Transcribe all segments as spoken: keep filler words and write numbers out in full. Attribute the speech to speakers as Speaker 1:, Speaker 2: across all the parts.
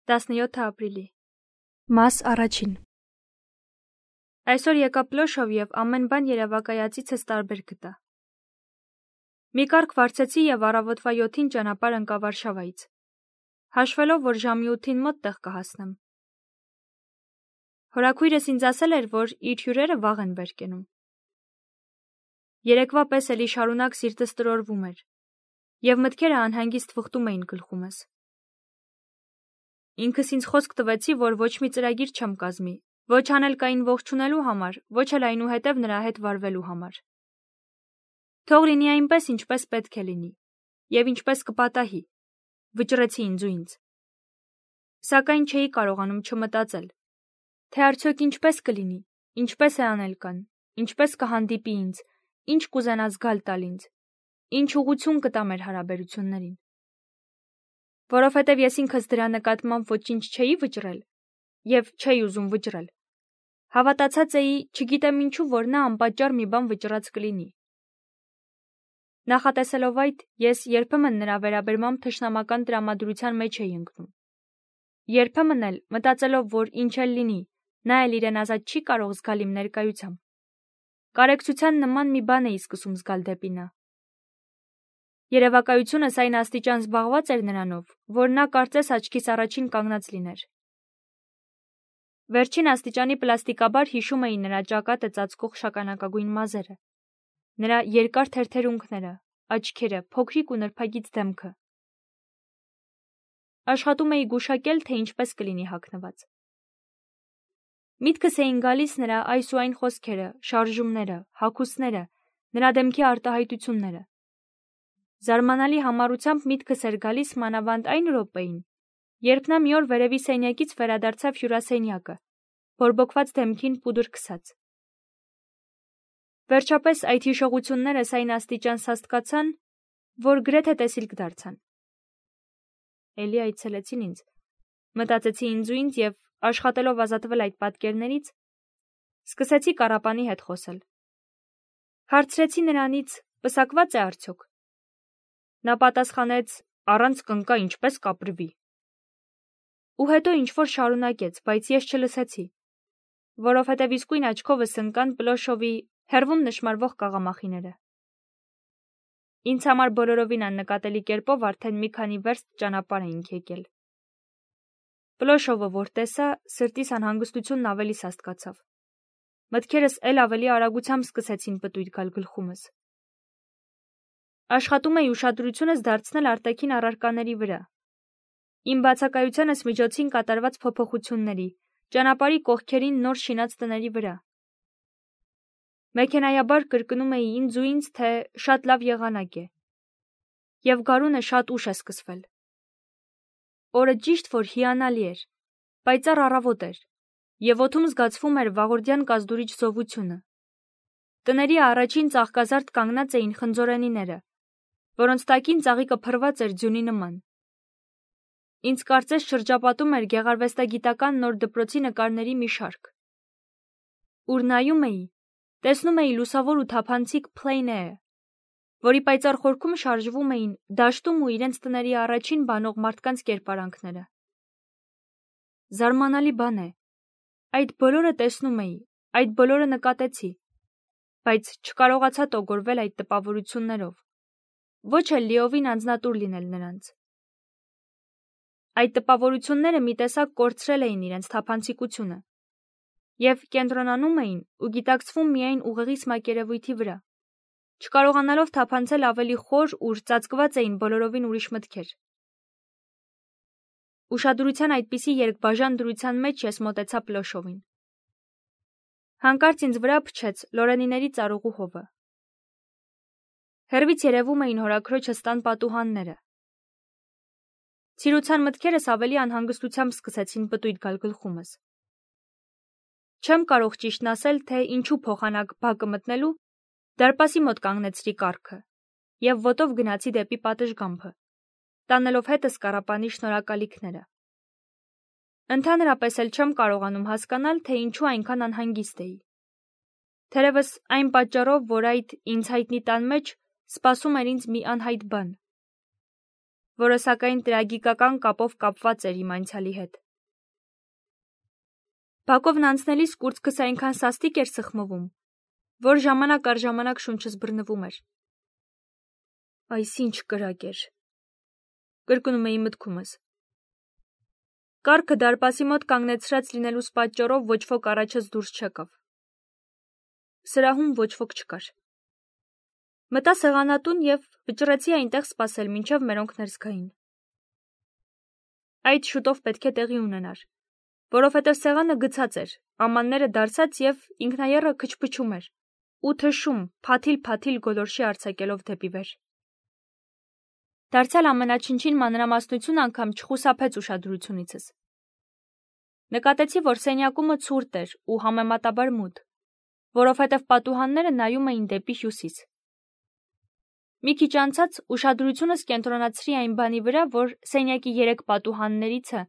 Speaker 1: տասնյոթ ապրիլի։
Speaker 2: Մաս առաջին։
Speaker 1: Այսօր եկա Պլոշով և ամեն բան երևակայածիցս տարբեր գտա։ Մի կարգ վարձեցի և առավոտվա յոթին ճանապարհ ընկա Վարշավայից, հաշվելով, որ ժամի ութին մոտ տեղ կհասնեմ։ Հորաքույրս ինձ ասել էր, որ իր հյուրերը վաղ են վեր կենում։ Երեկվա պես էլի շարունակ սիրտս տրորվում էր, և մտքերը անհանգիստ վխտում էին գլխումս։ Ինքս ինձ խոսք տվեցի, որ ոչ մի ծրագիր չեմ կազմի, ոչ անելկային ողջունելու համար, ոչ էլ այնուհետև նրա հետ վարվելու համար։ Թող լինի այնպես, ինչպես պետք է լինի, և ինչպես կպատահի, վճռեցի ինձ ու ինձ։ Սակայն չէի կարողանում չմտածել, թե արդյոք ինչպես կլինի, ինչպես է անելկան, ինչպես կհանդիպի ինձ, ինչ կուզենա զգալ տալ ինձ, ինչ ուղղություն կտա մեր հարաբերություններին։ Որովհետև ես ինքս դրա նկատմամբ ոչինչ չէի վճռել և չէի ուզում վճռել, հավատացած էի, չգիտեմ ինչու, որ նա անպատճառ մի բան վճռած կլինի։ Նախատեսելով այդ, ես երբեմն նրա վերաբերմամբ թշնամական տրամադրության մեջ էի ընկնում։ Երբեմն էլ, մտածելով, որ ինչ էլ լինի, նա էլ իրեն ազատ չի կարող զգալ իմ ներկայությամբ, կարեկցության նման մի բան էի սկսում զգալ դեպի նա։ Երևակայությունս այն աստիճան զբաղված էր նրանով, որ նա կարծես աչքիս առաջին կանգնած լիներ։ Վերջին աստիճանի պլաստիկաբար հիշում էի նրա ճակատը ծածկող շագանակագույն մազերը, նրա երկար թերթերունքները, աչքերը, փոքրիկ ու նրբագիծ դեմքը։ Աշխատում էի գուշակել, թե ինչպես կլինի հագնված։ Միտքս էին գալիս նրա այս ու այն խոսքերը, շարժումները, հագուստները, նրա դեմքի արտահայտությունները։ Զարմանալի համառությամբ միտքս էր գալիս մանավանդ այն րոպեին, երբ նա մի օր վերևի սենյակից վերադարձավ հյուրասենյակը, բորբոքված դեմքին պուդր քսած։ Վերջապես այդ հիշողություններս այն աստիճան սաստկացան, որ գրեթե տեսիլք դարձան։ Էլի այցելեցին ինձ, մտածեցի ինձ ու ինձ և, աշխատելով ազատվել այդ պատկերներից, սկսեցի կառապանի հետ խոսել։ Հարցրեցի նրանից, պսակված է արդյոք։ Նա պատասխանեց, առանց կնկա ինչպես կապրվի։ Ու հետո ինչ-որ շարունակեց, բայց ես չլսեցի, որովհետև իսկույն աչքովս ընկան Պլոշովի հեռվում նշմարվող կաղամախիները։ Ինձ համար բոլորովին աննկատելի կերպով արդեն մի քանի վերստ ճանապարհ էինք եկել։ Պլոշովը, որ տեսա, սրտիս անհանգստությունն ավելի սաստկացավ։ Մտքերս էլ ավելի արագությամբ սկսեցին պտույտ գալ գլխումս։ Աշխատում էի ուշադրությունս դարձնել արտաքին առարկաների վրա։ Իմ բացակայությանս միջոցին կատարված փոփոխությունների, ճանապարհի կողքերին նոր շինած տների վրա։ Մեքենայաբար կրկնում էի ինձ ու ինձ, թե շատ լավ եղանակ է, և գարունը շատ ուշ է սկսվել։ Օրը ճիշտ որ հիանալի էր, պայծառ առավոտ էր, և օդում զգացվում էր վաղորդյան կազդուրիչ զովությունը։ Տների առաջին ծաղկազարդ կանգնած էին խնձորենիները, որոնց տակին ծաղիկը փռված էր ձյունի նման։ Ինձ կարծես շրջապատում էր գեղարվեստագիտական նոր դպրոցի նկարների մի շարք։ Ուր նայում էի, տեսնում էի լուսավոր ու թափանցիկ plein air, որի պայծառ խորքում շարժվում էին դաշտում ու իրենց տների առաջին բանող մարդկանց կերպարանքները։ Զարմանալի բան է, այդ բոլորը տեսնում էի, այդ բոլորը նկատեցի, բայց չկարողացա տոգորվել այդ տպավորություններով, ոչ էլ լիովին անձնատուր լինել նրանց։ Այդ տպավորությունները մի տեսակ կորցրել էին իրենց թափանցիկությունը և կենտրոնանում էին ու գիտակցվում միայն ուղեղիս մակերևույթի վրա, չկարողանալով թափանցել ավելի խոր, ուր ծածկված էին բոլորովին ուրիշ մտքեր։ Ուշադրության այդպիսի երկբաժան դրության մեջ ես մոտեցա Պլոշովին։ Հանկարծ ինձ վրա փչեց Լորենիների ծառուղու հովը։ Հեռվից երևում էին հորաքրոջս տան պատուհանները։ Ցիրուցան մտքերս ավելի անհանգստությամբ սկսեցին պտույտ գալ գլխումս։ Չեմ կարող ճիշտն ասել, թե ինչու փոխանակ բակը մտնելու դարպասի մոտ կանգնեցրի կառքը և ոտով գնացի դեպի պատշգամբը, տանելով հետս կառապանի շնորհակալիքները։ Ընդհանրապես էլ չեմ կարողանում հասկանալ, թե ինչու այնքան անհանգիստ էի։ Թերևս այն պատճառով, որ այդ ինձ հայտնի տան մեջ սպասում էր ինձ մի անհայտ բան։ որը սակայն տրագիկական կապով կապված էր իմ անցյալի հետ։ Բակովն անցնելիս կուրծքս այնքան սաստիկ էր սխմվում, որ ժամանակ առ ժամանակ շունչս բռնվում էր։ Այս ինչ կրակ էր, կրկնում էի մտքումս։ Կառքը դարպասի մոտ կանգնեցրած լինելուս պատճառով ոչ ոք առաջս դուրս չեկավ։ Սրահում ոչ ոք չկար։ Մտա սեղանատուն և վճռեցի այնտեղ սպասել, մինչև մերոնք ներս գային։ Այդ շուտով պետք է տեղի ունենար, որովհետև սեղանը գցած էր, ամանները դարսած և ինքնաեռը քչփչում էր ու թշում, փաթիլ-փաթիլ գոլորշի արձակելով դեպի վեր։ Դարձյալ ամենաչնչին մանրամասնություն անգամ չխուսափեց ուշադրությունիցս։ Նկատեցի, որ սենյակումը ցուրտ էր ու համեմատաբար մութ, որովհետև պատուհանները նայում էին դեպի հյուսիս։ Մի քիչ անցած ուշադրությունս կենտրոնացրի այն բանի վրա, որ սենյակի երեք պատուհաններիցը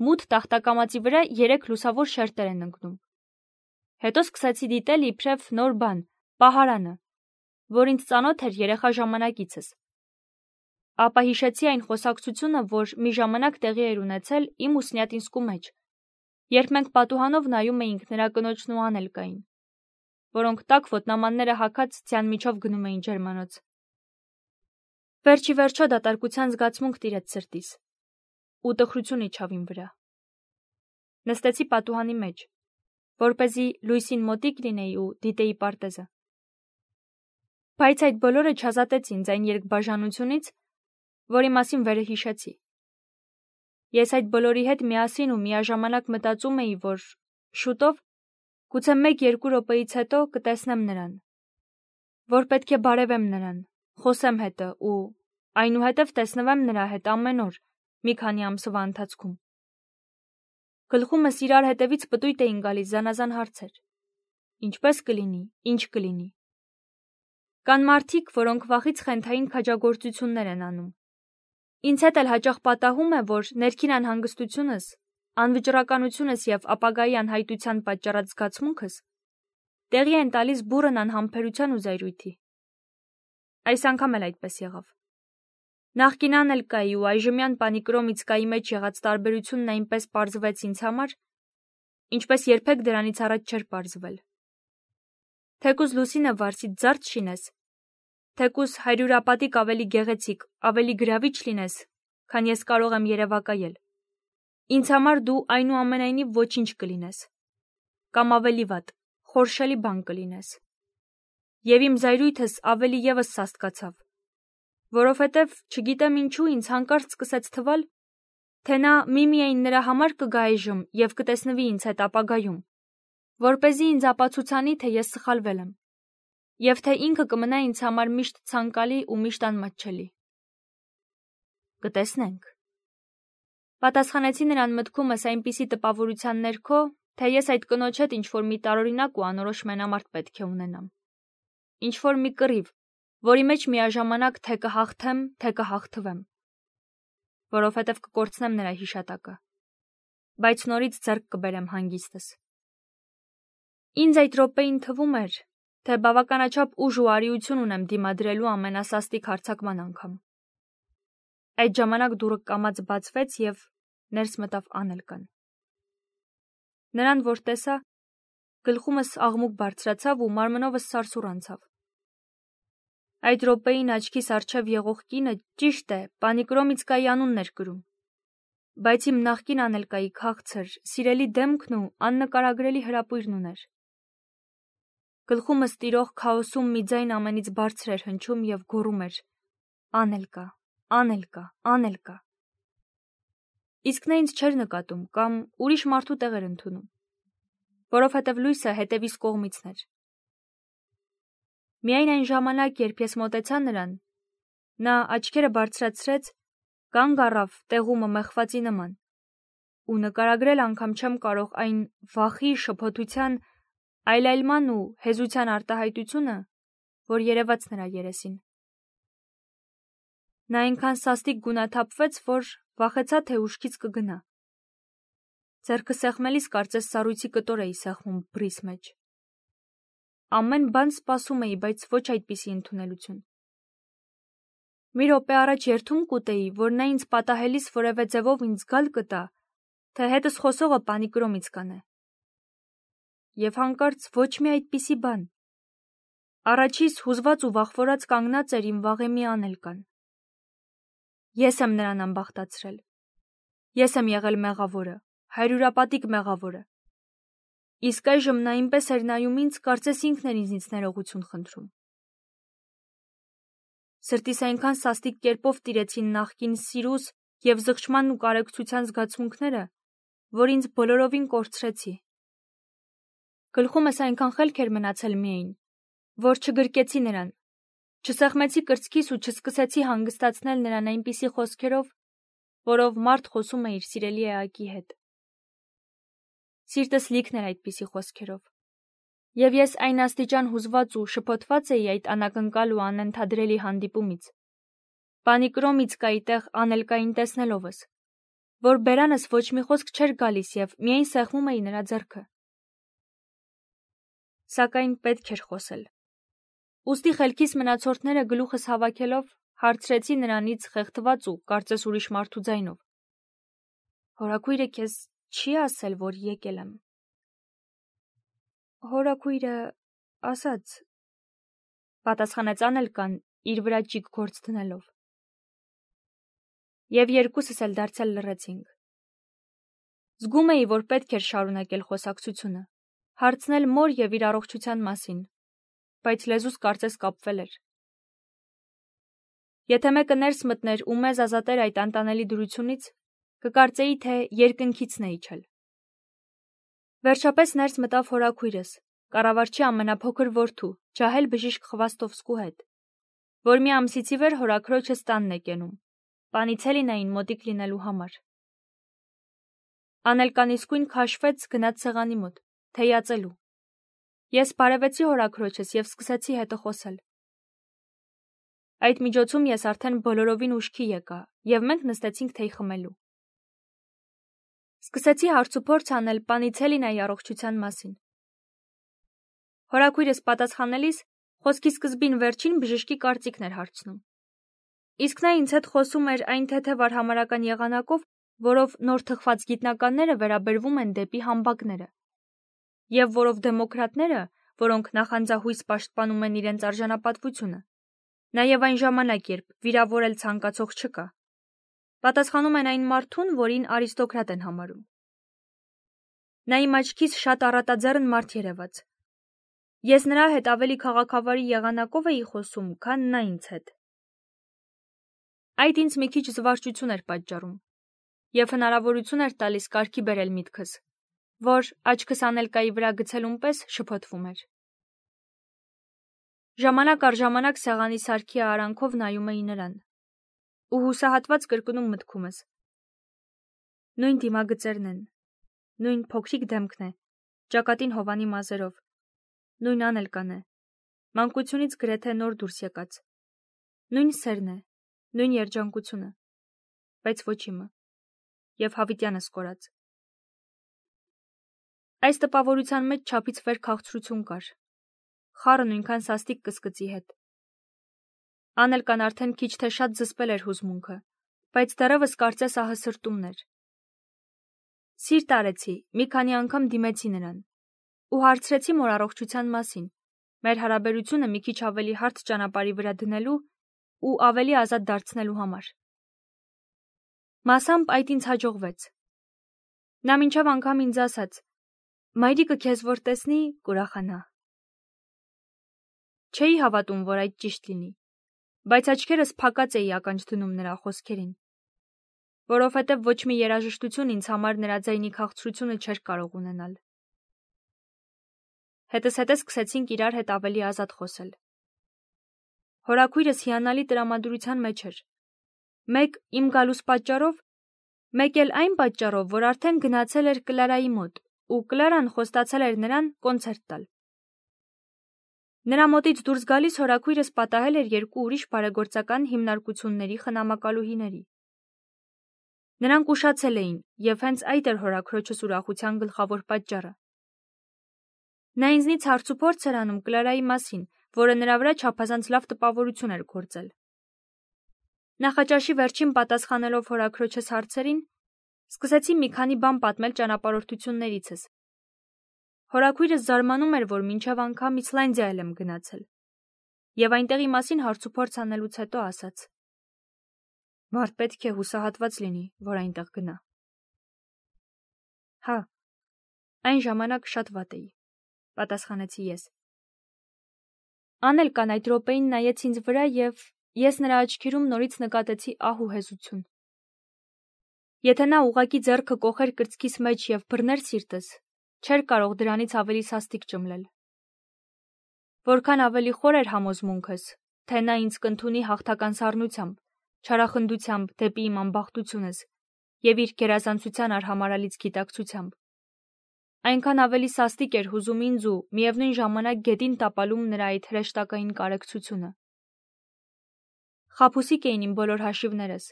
Speaker 1: մութ տախտակամածի վրա երեք լուսավոր շերտեր են ընկնում։ Հետո սկսեցի դիտել իբրև նոր բան, պահարանը, որ ինձ ծանոթ էր երեխա ժամանակիցս։ Ապա հիշեցի այն խոսակցությունը, որ մի ժամանակ տեղի էր ունեցել իմ ուսնյատինսկու մեջ, երբ մենք պատուհանով նայում էինք նրա կնոջն ու Անելկային, որոնք տաք ոտնամանները հագած ձյան միջով գնում էին ջերմանոց։ Վերջի վերջո դատարկության զգացմունք տիրեց սրտիս, ու տխրություն իջավ իմ վրա։ Նստեցի պատուհանի մեջ, որպեսզի լույսին մոտիկ լինեի ու դիտեի պարտեզը։ Բայց այդ բոլորը չազատեց ինձ այն երկբաժանությունից, որի մասին վերը հիշեցի։ Ես այդ բոլորի հետ միասին ու միաժամանակ մտածում էի, որ շուտով, գուցե մեկ-երկու րոպեից հետո կտեսնեմ նրան, որ պետք է բարևեմ նրան, խոսեմ հետը ու այնուհետև տեսնվեմ նրա հետ ամեն օր մի քանի ամսվա ընթացքում։ Գլխումս իրար հետևից պտույտ էին գալիս զանազան հարցեր. ինչպես կլինի, ինչ կլինի։ Կան մարդիկ, որոնք վախից խենթային քաջագործություններ են անում։ Ինձ հետ էլ հաճախ պատահում է, որ ներքին անհանգստությունս, անվճռականությունս և ապագայի անհայտության պատճառած զգացմունքս տեղի են տալիս բուռն անհամբերության ու զայրույթի։ Այս անգամ էլ այդպես եղավ։ Նախկին Անելկայի ու այժմյան Պանիկրոմիցկայի մեջ եղած տարբերությունն այնպես պարզվեց ինձ համար, ինչպես երբեք դրանից առաջ չէր պարզվել։ Թեկուզ լուսինը վարսից զարդ շինես, թեկուզ հարյուրապատիկ ավելի գեղեցիկ, ավելի գրավիչ լինես, քան ես կարող եմ երևակայել։ Ինձ համար դու այնուամենայնիվ ոչինչ կլինես, կամ ավելի վատ, խորշելի բան կլինես։ Եվ իմ զայրույթս ավելի ևս սաստկացավ, որովհետև չգիտեմ ինչու ինձ հանկարծ սկսեց թվալ, թե նա միմիայն նրա համար կգա այժմ և կտեսնվի ինձ հետ ապագայում, որպեսզի ինձ ապացուցանի, թե ես սխալվել եմ, և թե ինքը կմնա ինձ համար միշտ ցանկալի ու միշտ անմատչելի։ Կտեսնենք։ Պատասխանեցի նրան մտքումս այնպիսի տպավորության ներքո, թե ես այդ կնոջ հետ ինչ-որ մի տարօրինակ ու անորոշ մենամարտ պետք է ունենամ։ Ինչ-որ մի կռիվ, որի մեջ միաժամանակ թե կհաղթեմ, թե կհաղթվեմ, որովհետև կկորցնեմ նրա հիշատակը, բայց նորից ձեռք կբերեմ հանգիստս։ Ինձ այդ րոպեին թվում էր, թե բավականաչափ ուժ ու արիություն ունեմ դիմադրելու ամենասաստիկ հարձակման անգամ։ Այդ ժամանակ դուռը կամաց բացվեց և ներս մտավ Անելկան։ Նրան որ տեսա, գլխումս աղմուկ բարձրացավ ու մարմնովս սարսուռ անցավ։ Այդ րոպեին աչքիս առջև եղող կինը ճիշտ է, Պանիկրոմիցկայի անունն էր կրում, բայց իմ նախկին Անելկայի քաղցր, սիրելի դեմքն ու աննկարագրելի հրապույրն ուներ։ Գլխումս տիրող քաոսում մի ձայն ամենից բարձր էր հնչում և գոռում էր. Անելկա, Անելկա, Անելկա։ Իսկ նա ինձ չէր նկատում կամ ուրիշ մարդու տեղ էր ընդունում, որովհետև լույսը հետևիս կողմիցն էր։ Միայն այն ժամանակ, երբ ես մոտեցա նրան, նա աչքերը բարձրացրեց, կանգ առավ տեղումը մեխվածի նման, ու նկարագրել անգամ չեմ կարող այն վախի, շփոթության, այլայլման ու հեզության արտահայտությունը, որ երևաց նրա երեսին։ Նա այնքան սաստիկ գունաթափվեց, որ վախեցա, թե ուշքից կգնա։ Ձեռքը սեղմելիս կարծես սառույցի կտոր էի սեղմում բռիս մեջ։ Ամեն բան սպասում էի, բայց ոչ այդպիսի ընդունելություն։ Մի րոպե առաջ երդում կուտեի, որ նա ինձ պատահելիս որևէ ձևով ինձ զգալ կտա, թե հետս խոսողը պանիկրոմից կանե։ Եվ հանկարծ ոչ մի այդպիսի բան։ Առաջիս հուզված ու վախվորած կանգնած էր իմ վաղեմի Անելկան։ Ես եմ նրան ամբախտացրել։ Ես եմ եղել մեղավորը, հայրուրապատիկ մեղավորը։ Իսկ այժմ նա այնպես էր նայում ինձ, կարծես ինքն էր ինձնից ներողություն խնդրում։ Սրտիս այնքան սաստիկ կերպով տիրեցին նախկին սիրուս և զղջման ու կարեկցության զգացմունքները, որ ինձ բոլորովին կորցրեցի։ Գլխումս այնքան խելք էր մնացել միայն, որ չգրկեցի նրան, չսեղմեցի կրծքիս ու չսկսեցի հանգստացնել նրան այնպիսի խոսքերով, որով մարդ խոսում է իր սիրելի էակի հետ։ Սիրտս լիքն էր այդպիսի խոսքերով։ Եվ ես այն աստիճան հուզված ու շփոթված էի այդ անակնկալ ու անընդհադրելի հանդիպումից, պանիկրոմից կայի տեղ Անելկային տեսնելովս, որ բերանս ոչ մի խոսք չէր գալիս և միայն սեղմում էի նրա ձեռքը։ Սակայն պետք էր խոսել։ Ուստի խելքիս մնացորդները գլուխս հավաքելով հարցրեցի նրանից խեղդված ու կարծես ուրիշ մարդու ձայնով. Հորաքույրը քեզ չի ասել, որ եկել եմ։ Հորաքույրը ասաց, պատասխանեց Անելկան իր վրա ճիգ գործ դնելով։ Եվ երկուսս էլ դարձյալ լռեցինք։ Զգում էի, որ պետք էր շարունակել խոսակցությունը, հարցնել մոր և իր առողջության մասին, բայց լեզուս կարծես կապվել էր։ Եթե մեկը ներս մտներ ու մեզ ազատեր այդ անտանելի դրությունից, կկարծեի, թե երկնքիցն է իջել։ Վերջապես ներս մտավ հորաքույրս, կառավարչի ամենափոքր որդու, ջահել բժիշկ Խվաստովսկու հետ, որ մի ամսից ի վեր հորաքրոջս տանն է կենում, Պանիցելինային մոտիկ լինելու համար։ Անելկան իսկույն քաշվեց, գնաց սեղանի մոտ, թեյացելու։ Ես բարևեցի հորաքրոջս և սկսեցի հետը խոսել։ Այդ միջոցում ես արդեն բոլորովին ուշքի եկա, և մենք նստեցինք թեյ խմելու։ Սկսեցի հարցուփորձ անել Պանիցելինայի առողջության մասին։ Հորաքույրս պատասխանելիս խոսքի սկզբին վերջին բժշկի կարծիքն էր հարցնում։ Իսկ նա ինձ հետ խոսում էր այն թեթև արհամարհական եղանակով, որով նոր թխված գիտնականները վերաբերվում են դեպի համբակները, և որով դեմոկրատները, որոնք նախանձահույս պաշտպանում են իրենց արժանապատվությունը, նաև այն ժամանակ, երբ վիրավորել ցանկացող չկա, պատասխանում են այն մարդուն, որին արիստոկրատ են համարում։ Նա իմ աչքիս շատ առատաձեռն մարդ երևաց։ Ես նրա հետ ավելի քաղաքավարի եղանակով էի խոսում, քան նա ինձ հետ։ Այդ ինձ մի քիչ զվարճություն էր պատճառում և հնարավորություն էր տալիս կարգի բերել միտքս, որ աչքս Անելկայի վրա գցելուն պես շփոթվում էր։ Ժամանակ առ ժամանակ սեղանի սարքի արանքով նայում էի նրան ու հուսահատված կրկնում մտքումս. նույն դիմագծերն են, նույն փոքրիկ դեմքն է, ճակատին հովանի մազերով, նույն Անելկան է, մանկությունից գրեթե նոր դուրս եկած, նույն սերն է, նույն երջանկությունը, բայց ոչ իմը, և հավիտյանս կորած։ Այս տպավորության մեջ չափից վեր քաղցրություն կար, խառը նույնքան սաստիկ կսկծի հետ։ Անելկան արդեն քիչ թե շատ զսպել էր հուզմունքը, բայց դեռևս կարծես ահը սրտումն էր։ Սիրտ արեցի, մի քանի անգամ դիմեցի նրան ու հարցրեցի մոր առողջության մասին, մեր հարաբերությունը մի քիչ ավելի հարթ ճանապարհի վրա դնելու ու ավելի ազատ դարձնելու համար։ Մասամբ այդ ինձ հաջողվեց։ Նա մինչև անգամ ինձ ասաց. «Մայրիկը քեզ որ տեսնի, կուրախանա»։ Չէի հավատում, որ այդ ճիշտ լինի, բայց աչքերս փակած էի ականջ դնում նրա խոսքերին, որովհետև ոչ մի երաժշտություն ինձ համար նրա ձայնի քաղցրությունը չէր կարող ունենալ։ Հետզհետե սկսեցինք իրար հետ ավելի ազատ խոսել։ Հորաքույրս հիանալի տրամադրության մեջ էր։ Մեկ իմ գալուս պատճառով, մեկ էլ այն պատճառով, որ արդեն գնացել էր Կլարայի մոտ, ու Կլարան խոստացել էր նրան կոնցերտ տալ։ Նրա մոտից դուրս գալիս հորաքույրս պատահել էր երկու ուրիշ բարեգործական հիմնարկությունների խնամակալուհիների։ Նրանք ուշացել էին, և հենց այդ էր հորաքրոջս ուրախության գլխավոր պատճառը։ Նա ինձնից հարցուփորձ էր անում Կլարայի մասին, որը նրա վրա չափազանց լավ տպավորություն էր գործել։ Նախաճաշի վերջին պատասխանելով հորաքրոջս հարցերին, սկսեցի մի քանի բան պատմել ճանապարհորդություններիցս։ Հորաքույրս զարմանում էր, որ մինչև անգամ Իսլանդիա եմ գնացել, եւ այնտեղի մասին հարցուփորձ անելուց հետո ասաց. Մարդ պետք է հուսահատված լինի, որ այնտեղ գնա։ Հա, այն ժամանակ շատ վատ էի, պատասխանեցի ես։ Անելկան այդ րոպեին նայեց ինձ վրա եւ ես նրա աչքերում նորից նկատեցի ահ ու հեզություն։ Եթե նա ուղակի ձեռքը կոխեր կրծքիս մեջ եւ բռներ սիրտս, չէր կարող դրանից ավելի սաստիկ ճմլել։ Որքան ավելի խոր էր համոզմունքս, թե նա ինձ կընդունի հաղթական սառնությամբ, չարախնդությամբ դեպի իմ անբախտությունս եւ իր գերազանցության արհամարալից գիտակցությամբ, այնքան ավելի սաստիկ էր հուզում ինձ ու միևնույն ժամանակ գետին տապալում նրա այդ հրեշտակային կարեկցությունը։ Խաբուսիկ էին իմ բոլոր հաշիվներս,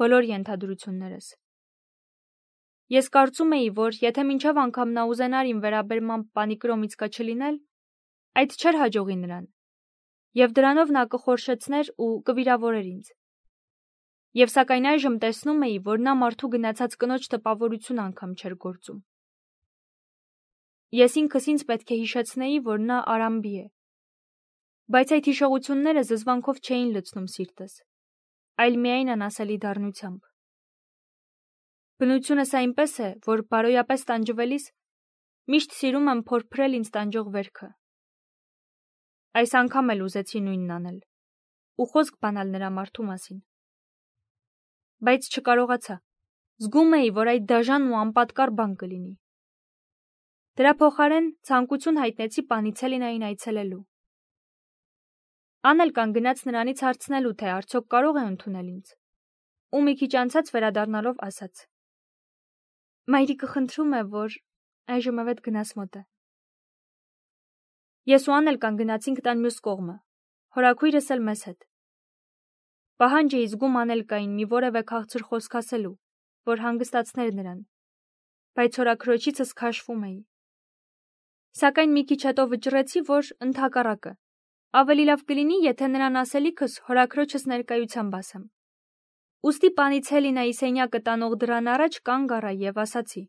Speaker 1: բոլոր ենթադրություններս։ Ես կարծում էի, որ եթե մինչև անգամ նա ուզենար իմ վերաբերմամբ պանիկրոմից կչլինել, այդ չէր հաջողի նրան, եւ դրանով նա կխորշեցներ ու կվիրավորեր ինձ։ Եվ սակայն այժմ տեսնում էի, որ նա մարդու գնացած կնոջ տպավորություն անգամ չէր գործում։ Ես ինքս ինձ պետք է հիշեցնեի, որ նա արամբի է, բայց այդ հիշողությունները զզվանքով չէին լցնում սիրտս, այլ միայն անասելի դառնությամբ։ Բնությունս այնպես է, որ բարոյապես տանջվելիս միշտ սիրում եմ փորփրել ինձ տանջող վերքը։ Այս անգամ էլ ուզեցի նույնն անել ու խոսք բանալ նրա մարդու մասին։ Բայց չկարողացա։ Զգում էի, որ այդ դաժան ու անպատկառ բան կլինի։ Դրա փոխարեն ցանկություն հայտնեցի Պանիցելինային այցելելու։ Անելկան գնաց նրանից հարցնելու, թե արդյոք կարող է ընդունել ինձ, ու մի քիչ անցած վերադառնալով ասաց. Մայրիկը խնդրում է, որ այժմ ավետ գնաս մոտ է։ Ես ու Անելկան գնացինք տան մյուս կողմը, հորաքույրս էլ մեզ հետ։ Պահանջ էի զգում Անելկային մի որևէ քաղցր խոսք ասելու, որ հանգստացներ նրան, բայց հորաքրոջիցս քաշվում էի։ Սակայն մի քիչ հետո վճռեցի, որ ընդհակառակը ավելի լավ կլինի, եթե նրան ասելիքս հորաքրոջս ներկայությամբ ասեմ։ Ուստի Պանիցելինայի սենյակը տանող դռան առաջ կանգ առա եւ ասացի.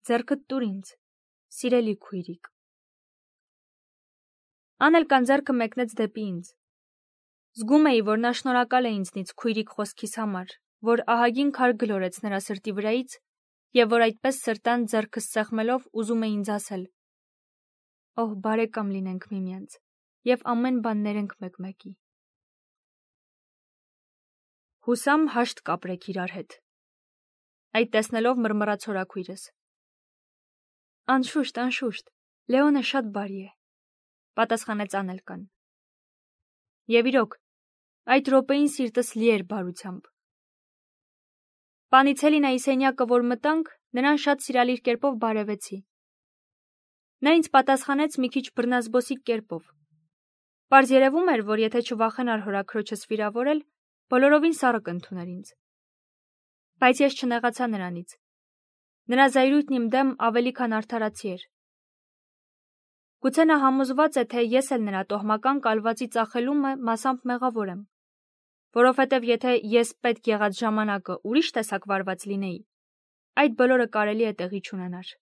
Speaker 1: Ձեռքդ տուր ինձ, սիրելի քույրիկ։ Անելկան ձեռքը մեկնեց դեպի ինձ։ Զգում էի, որ նա շնորհակալ է ինձնից քույրիկ խոսքիս համար, որ ահագին քար գլորեց նրա սրտի վրայից եւ որ այդպես սրտան ձեռքս սեղմելով ուզում է ինձ ասել. Օհ, բարեկամ լինենք միմյանց եւ ամեն բան ներենք մեկ-մեկի։ Հուսամ հաշտ կապրեք իրար հետ։ Այդ տեսնելով մռմռաց հորաքույրս։ Անշուշտ, անշուշտ, Լեոնը շատ բարի է, պատասխանեց Անելկան։ Եվ իրոք, այդ րոպեին սիրտս լի էր բարությամբ։ Պանիցելինայի սենյակը, որ մտանք, նրան շատ սիրալիր կերպով բարևեցի։ Նա ինձ պատասխանեց մի քիչ բռնազբոսիկ կերպով։ Պարզ երևում էր, որ եթե չվախենար հորաքրոջս վիրավորել, բոլորովին սառը կընդուներ ինձ։ Բայց ես չնեղացա նրանից։ Նրա զայրույթն իմ դեմ ավելի քան արդարացի էր։ Գուցե նա համոզված է, թե ես էլ նրա տոհմական կալվածի ծախելումը մասամբ մեղավոր եմ, որովհետև եթե ես պետք եղած ժամանակը ուրիշ տեսակ վարված լինեի, այդ բոլորը կարելի է տեղի չունենար։